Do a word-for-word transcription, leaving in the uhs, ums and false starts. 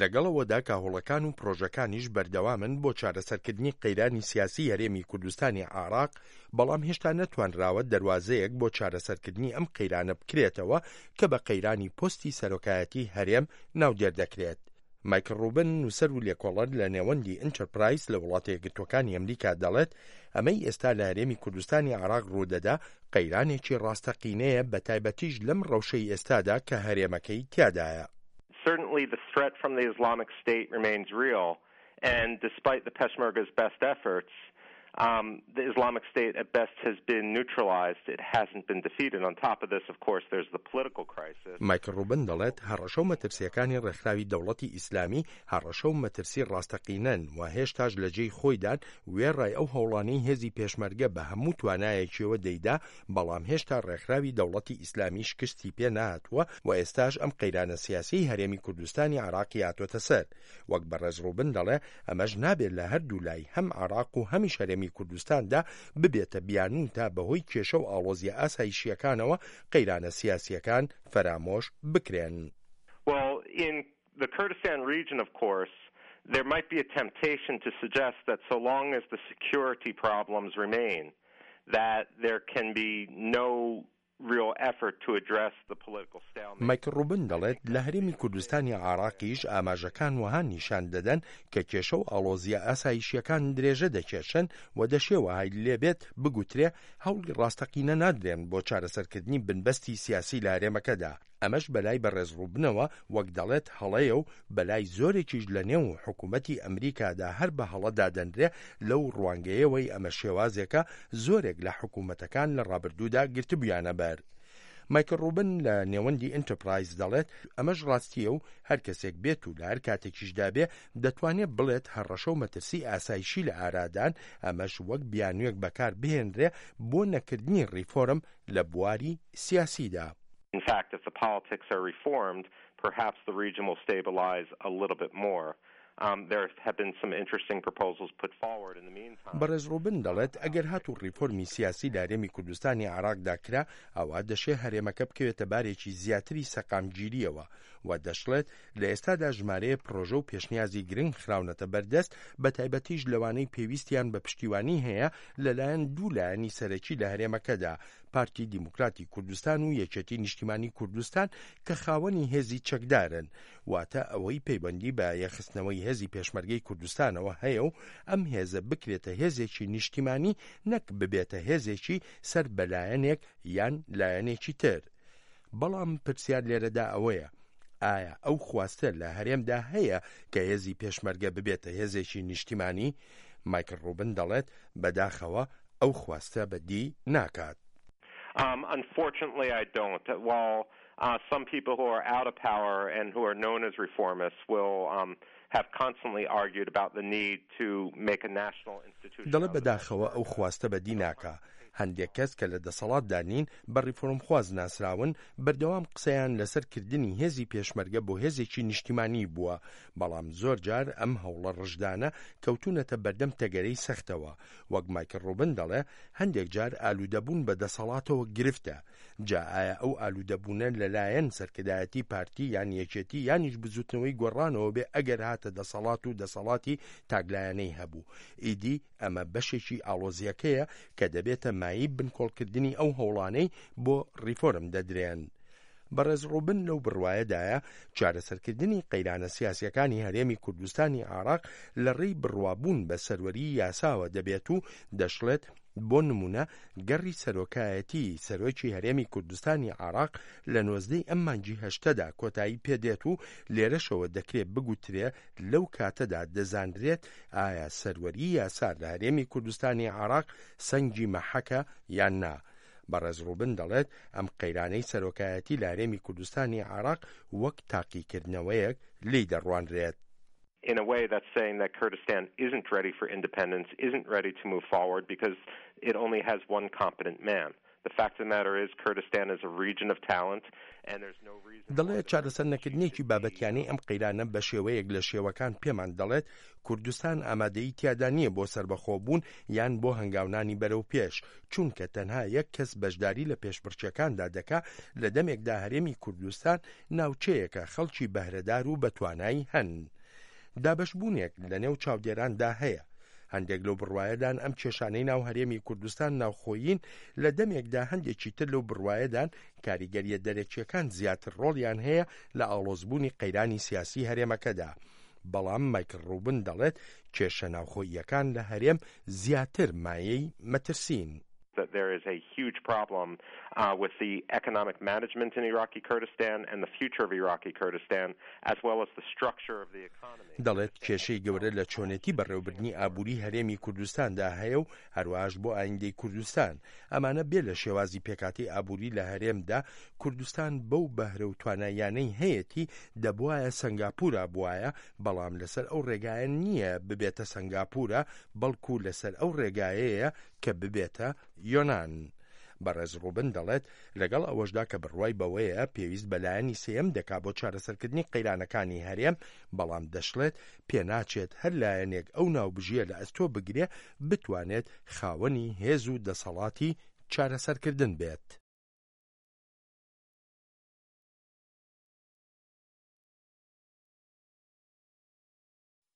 لەگەڵ ئەوەدا کە هەوڵەکان و پرۆژەکانیش بەردەوامن بۆ چارەسەرکردنی قەیرانی سیاسی هەرێمی کوردستانی عێراق، بەڵام هێشتا نەتوانراوە دەروازەیەک بۆ چارەسەرکردنی ئەم قەیرانە بکرێتەوە کە بە قەیرانی پۆستی سەرۆکایەتی هەرێم ناودێر دەکرێت. مایکل ڕوبن، نووسەر و لێکۆڵەر لە نێوەندی ئینتەرپرایز لە وڵاتە یەکگرتووەکانی ئەمریکا، دەڵێت ئەمەی ئێستا لە هەرێمی کوردستانی عێراق ڕوودەدا قەیرانێکی ڕاستەقینەیە، بە تایبەتیش لەم ڕەوشەی ئێستادا کە هەرێمەکەی تیادایە. Certainly the threat from the Islamic State remains real, and despite the Peshmerga's best efforts, um, the Islamic State at best has been neutralized. It hasn't been defeated. On top of this, of course, there's the political crisis. مایکل ڕوبن دەڵێت هەڕەشە و مەترسیەکانی ڕێکخراوی دەوڵەتی ئیسلامی هەڕەشە و مەترسی ڕاستەقینەن و هێشتاش لە جێی خۆیدان، وێڕای ئەو هەوڵانەی هێزی پێشمەرگە بە هەموو توانایەکیەوە دەیدا، بەڵام هێشتا ڕێکخراوی دەوڵەتی ئیسلامی شکستی پێ نهاتووە و ئێستاش ئەم قەیرانە سیاسی هەرێمی کوردستانی عێراقی هاتووەتە سەر. وەک بەڕێز ڕوبن دەڵێ ئەمەش نابێت لە هەردوو لای هەم عێراق و هەمیش هەرێمی کوردستاندا ببێتە بیانوو تا بەهۆی کێشە و ئاڵۆزیە ئاسایشیەکانەوە قەیرانە سیاسیەکان فەرامۆش بکرێن. Well, in the Kurdistan Region, of course, there might be a temptation to suggest that so long as the security problems remain, that there can be no real effort to address the political stalemate. مایکل ڕوبن دەڵێت لە هەرێمی کوردستانی عێراقیش ئاماژەکان وەها نیشان دەدەن کە کێشە و ئاڵۆزیە ئاسایشیەکان درێژە دەکێشن و دەشێ وەهای لێبێت بگوترێ هەوڵی ڕاستەقینە نادرێن بۆ چارەسەرکردنی بنبەستی سیاسی لە هەرێمەکەدا. ئەمەش بەلای بەڕێز ڕوبنەوە وەک دەڵێت هەڵەیە و بەلای زۆرێکیش لە نێو حکوومەتی ئەمریکادا هەر بە هەڵە دادەنرێ، لەو ڕوانگەیەوەی ئەمە شێوازێکە زۆرێک لە حکوومەتەکان لە ڕابردوودا گرتبوویانە بەر. مایکل ڕوبن لە نێوەندی ئینتەرپرایز دەڵێت ئەمەش ڕاستیە و هەر کەسێک بێت و لە هەر کاتێکیشدا بێ دەتوانێت بڵێت هەڕەشە و مەترسی ئاسایشی لە ئارادان، ئەمەش وەک بیانوویەک بەکار بهێنرێ بۆ نەکردنی ڕیفۆرم لە بواری سیاسیدا. In fact, if the politics are reformed, perhaps the region will stabilize a little bit more. Um, there have been some interesting proposals put forward in the meantime. بەڕێز ڕوبن دەڵێت ئەگەر هاتوو ڕیفۆرمی سیاسی لە هەرێمی کوردستانی عێراقدا کرا، ئەوە دەشێ هەرێمەکە بکەوێتە بارێکی زیاتری سەقامگیریەوە و دەشڵێت لە ئێستادا ژمارەیە پرۆژە و پێشنیازی گرنگ خراونەتە بەردەست، بە تایبەتیش لەوانەی پێویستیان بە پشتیوانی هەیە لەلایەن دوو لایەنی سەرەکی لە هەرێمەکەدا، پارتی دیموکراتی کوردستان و یەکێتی نیشتیمانی کوردستان کە خاوەنی هێزی چەکدارن، واتە ئەوەی پەیوەندی بە یەکخستنەوەی هێزی پێشمەرگەی کوردستانەوە هەیە و ئەم هێزە بکرێتە هێزێکی نیشتیمانی نەک ببێتە هێزێکی سەر بەلایەنێک یان لایەنێکی تر. بەڵام پرسیار لێرەدا ئەوەیە ئایا ئەو خواستە لە هەرێمدا هەیە کە هێزی پێشمەرگە ببێتە هێزێکی نیشتیمانی؟ مایکل ڕوبن دەڵێت بەداخەوە ئەو خواستە بەدی ناکات. Um, unfortunately, I don't. While uh, some people who are out of power and who are known as reformists will um, have constantly argued about the need to make a national institution. دەڵێ بەداخەوە ئەو خواستە بەدی ناکا. هەندێک کەس کە لە دەسەڵاتدا نین، بە ڕیفۆرمخواز ناسراون، بەردەوام قسەیان لەسەر کردنی هێزی پێشمەرگە بۆ هێزێکی نیشتیمانی بووە، بەڵام زۆر جار ئەم هەوڵە ڕژدانە کەوتونەتە بەردەم تەگەرەی سەختەوە. وەک مایکل ڕوبن دەڵێ هەندێک جار ئالوودەبوون بە دەسەڵاتەوە گرفتە. جا ئایا ئەو ئالوودەبوونە لەلایەن سەرکردایەتی پارتی یان یەکێتی یانیش بزوتنەوەی گۆڕانەوە بێ، ئەگەر هاتە دەسەڵات و دەسەڵاتی تاکلایەنەی هەبوو، ئیدی ئەمە بەشێکی ئاڵۆزیەکەیە کە دەبێتە مایەی بنکۆڵکردنی ئەو هەوڵانەی بۆ ڕیفۆرم دەدرێن. بەڕێز ڕوبن لەو بڕوایەدایە چارەسەرکردنی قەیرانە سیاسیەکانی هەرێمی کوردستانی عێراق لە ڕێی بڕوابوون بە سەروەری یاساوە دەبێت و دەشڵێت بۆ نمونە گەڕی سەرۆکایەتی سەرۆکی هەرێمی کوردستانی عێراق لە نۆزدەی ئەم مانگی هەشتەدا کۆتایی پێدێت و لێرەشەوە دەکرێت بگوترێ لەو کاتەدا دەزانرێت ئایا سەروەری یاسا لە هەرێمی کوردستانی عێراق سەنگی مەحەکە یان نا. بەڕێز ڕوبن دەڵێت ئەم قەیرانەی سەرۆکایەتی لە هەرێمی کوردستانی عێراق وەک تاقیکردنەوەیەک لێی دەڕوانرێت. In a way, that's saying that Kurdistan isn't ready for independence, isn't ready to move forward because it only has one competent man. The fact of the matter is Kurdistan is a region of talent and there's no reason دەڵێت چارەسەر نەکردنێکی بابەتیانەی ئەم قەیرانە بە شێوەیەک لە شێوەکان پێمان دەڵێت کوردستان ئامادەی تیادا نییە بۆ سربەخۆبوون یان بۆ هەنگاونانی بەرەو پێش، چونکە تەنها یەک کەس بەشداری لە پێشبڕکێکاندا دەکا لە دەمێکدا هەرێمی کوردستان ناوچەیەکە خەڵکی بەهرەدار و بەتوانایی هەن. دابەشبوونێک لە نێو چاودێراندا هەیە. هەندێک لەو بڕوایەدان ئەم کێشانەی ناو هەرێمی کوردستان ناوخۆیین، لە دەمێکدا هەندێکی تر لەو بڕوایەدان کاریگەریە دەرەکیەکان زیاتر ڕۆڵیان هەیە لە ئاڵۆزبوونی قەیرانی سیاسی هەرێمەکەدا. بەڵام مایکل ڕوبن دەڵێت کێشە ناوخۆییەکان لە هەرێم زیاتر مایەی مەترسین. That there is a huge problem uh, with the economic management in Iraqi Kurdistan and the future of Iraqi Kurdistan, as well as the structure of the economy. دەڵێت کێشەی گەورە لە چۆنێتی بەڕێوەبردنی ئابووری هەرێمی کوردستاندا هەیە و هەروەهاش بۆ ئایندەی کوردستان. ئەمانە بێ لە شێوازی پێکاتی ئابووری لە هەرێمدا، کوردستان بەو بەهرە و توانایانەی هەیەتی دەبواە سنگاپورە بواە، بەڵام لەسەر ئەو ڕێگایە نییە ببێتە سنگاپورە، بەڵکو لەسەر ئەو ڕێگایەیە کە ببێتە یۆناان. بەڕێز ڕوبن دەڵێت لەگەڵ ئەوەشدا کە بڕوای بەوەیە پێویست بەلایەنی سێم دەکا بۆ چارەسەرکردنی قەیرانەکانی هەرێم، بەڵام دەشڵێت پێناچێت هەر لایەنێک ئەو ناوبژیە لە ئەستۆ بگرێ بتوانێت خاوەنی هێز و دەسەڵاتی چارەسەرکردن بێت.